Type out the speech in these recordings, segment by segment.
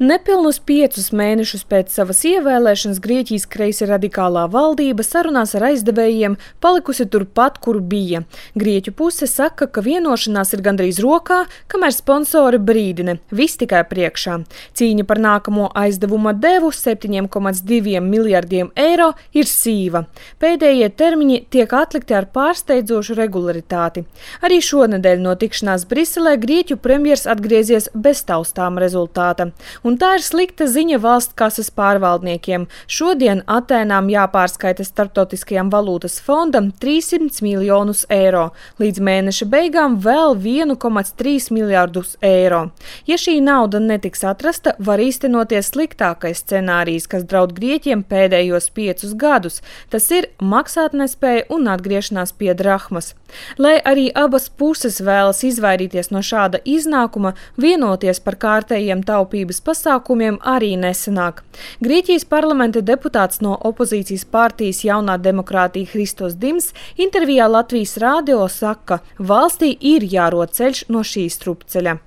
Nepilnus 5 mēnešus pēc savas ievēlēšanas Grieķijas kreisi radikālā valdība sarunās ar aizdevējiem palikusi turpat, kur bija. Grieķu puse saka, ka vienošanās ir gandrīz rokā, kamēr sponsori brīdina, viss tikai priekšā. Cīņa par nākamo aizdevuma devu 7,2 miljardiem eiro ir sīva. Pēdējie termiņi tiek atlikti ar pārsteidzošu regularitāti. Arī šonedēļ no tikšanās Briselē Grieķu premjers atgriezies bez taustām rezultāta. Un tā ir slikta ziņa valsts kases pārvaldniekiem. Šodien Atēnām jāpārskaita Starptautiskajam valūtas fondam 300 miljonus eiro. Līdz mēneša beigām vēl 1,3 miljardus eiro. Ja šī nauda netiks atrasta, var īstenoties sliktākais scenārijs, kas draud Grieķiem pēdējos 5 gadus. Tas ir maksātnespēja un atgriešanās pie drahmas. Lai arī abas puses vēlas izvairīties no šāda iznākuma, vienoties par kārtējiem taupības pasākumiem arī nesanāk. Grieķijas parlamenta deputāts no opozīcijas partijas Jaunā demokrātija Hristos Dims intervijā Latvijas radio saka, valstī ir jārod ceļš no šī strupceļa.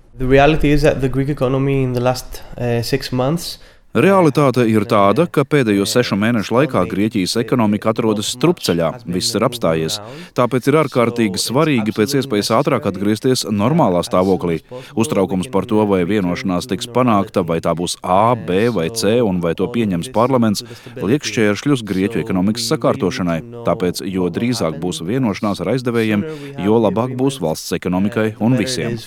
Realitāte ir tāda, ka pēdējo 6 mēnešu laikā Grieķijas ekonomika atrodas strupceļā, viss ir apstājies. Tāpēc ir ārkārtīgi svarīgi pēc iespējas ātrāk atgriezties normālā stāvoklī. Uztraukums par to, vai vienošanās tiks panākta, vai tā būs A, B vai C un vai to pieņems parlaments, liek šķēršļus Grieķu ekonomikas sakārtošanai. Tāpēc, jo drīzāk būs vienošanās ar aizdevējiem, jo labāk būs valsts ekonomikai un visiem.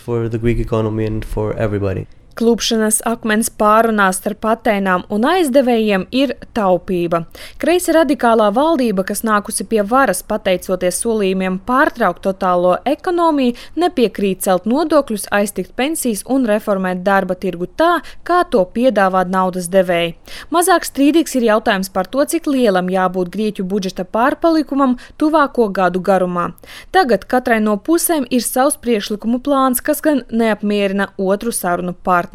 Klupšanas akmens pārunās starp Atēnām un aizdevējiem ir taupība. Kreisi radikālā valdība, kas nākusi pie varas pateicoties solījumiem pārtraukt totālo ekonomiju, nepiekrīt celt nodokļus, aiztikt pensijas un reformēt darba tirgu tā, kā to piedāvā naudas devēji. Mazāk strīdīgs ir jautājums par to, cik lielam jābūt Grieķu budžeta pārpalikumam tuvāko gadu garumā. Tagad katrai no pusēm ir savs priekšlikumu plāns, kas gan neapmierina otru sarunu partneri.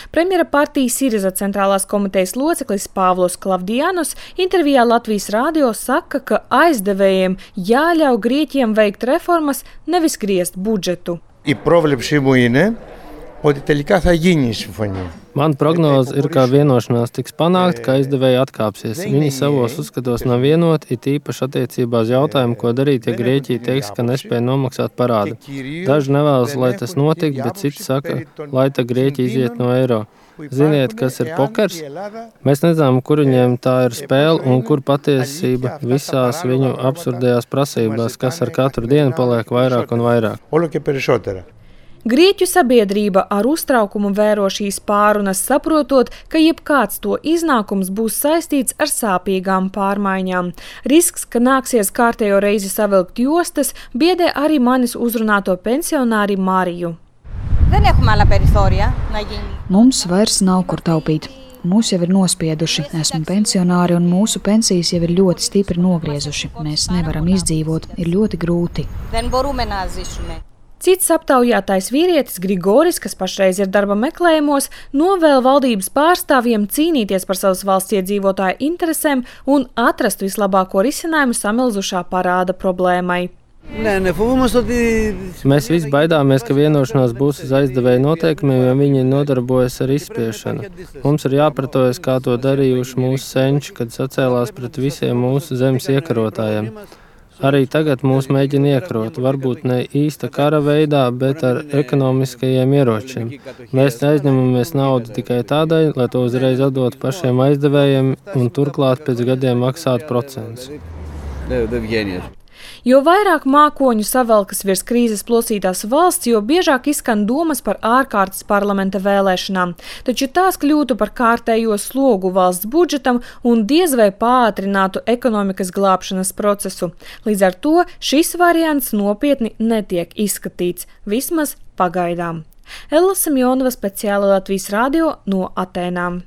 Premjera partijas Siriza centrālās komitejas loceklis Pāvlos Klavdijanos intervijā Latvijas radio saka, ka aizdevējiem jāļauj Grieķiem veikt reformas, nevis griezt budžetu. Man prognoze ir, ka vienošanās tiks panākt, ka aizdevēji atkāpsies. Viņi savos uzskatos nav vienoti, it īpaši attiecībā uz jautājumu, ko darīt, ja Grieķija teiks, ka nespēja nomaksāt parādu. Daži nevēlas, lai tas notiktu, bet citi saka, lai tā Grieķija iziet no eiro. Ziniet, kas ir pokers? Mēs nezinām, kur viņiem tā ir spēle un kur patiesība visās viņu absurdajās prasībās, kas ar katru dienu paliek vairāk un vairāk. Grieķu sabiedrība ar uztraukumu vēro šīs pārunas, saprotot, ka jebkāds to iznākums būs saistīts ar sāpīgām pārmaiņām. Risks, ka nāksies kārtējo reizi savilkt jostas, biedē arī manis uzrunāto pensionāri Mariju. Mums vairs nav kur taupīt. Mūs jau ir nospieduši, esmu pensionāri un mūsu pensijas jau ir ļoti stipri nogriezuši. Mēs nevaram izdzīvot, ir ļoti grūti. Cits aptaujātais vīrietis Grigoris, kas pašreiz ir darba meklējumos, novēl valdības pārstāvjiem cīnīties par savas valsts iedzīvotāju interesēm un atrast vislabāko risinājumu samilzušā parāda problēmai. Mēs visi baidāmies, ka vienošanās būs uz aizdevēju noteikumiem, jo viņi nodarbojas ar izspiešanu. Mums ir jāpratojas, kā to darījuši mūsu senči, kad sacēlās pret visiem mūsu zemes iekarotājiem. Arī tagad mūs mēģina iekarot, varbūt ne īsta kara veidā, bet ar ekonomiskajiem ieročiem. Mēs aizņemamies naudu tikai tādēļ, lai to uzreiz atdotu pašiem aizdevējiem un turklāt pēc gadiem maksātu procentus. Jo vairāk mākoņu savelkas virs krīzes plosītās valsts, jo biežāk izskan domas par ārkārtas parlamenta vēlēšanām. Taču tās kļūtu par kārtējo slogu valsts budžetam un diez vai pātrinātu ekonomikas glābšanas procesu. Līdz ar to šis variants nopietni netiek izskatīts, vismaz pagaidām. Ella Semjonova, speciāli Latvijas radio no Atēnām.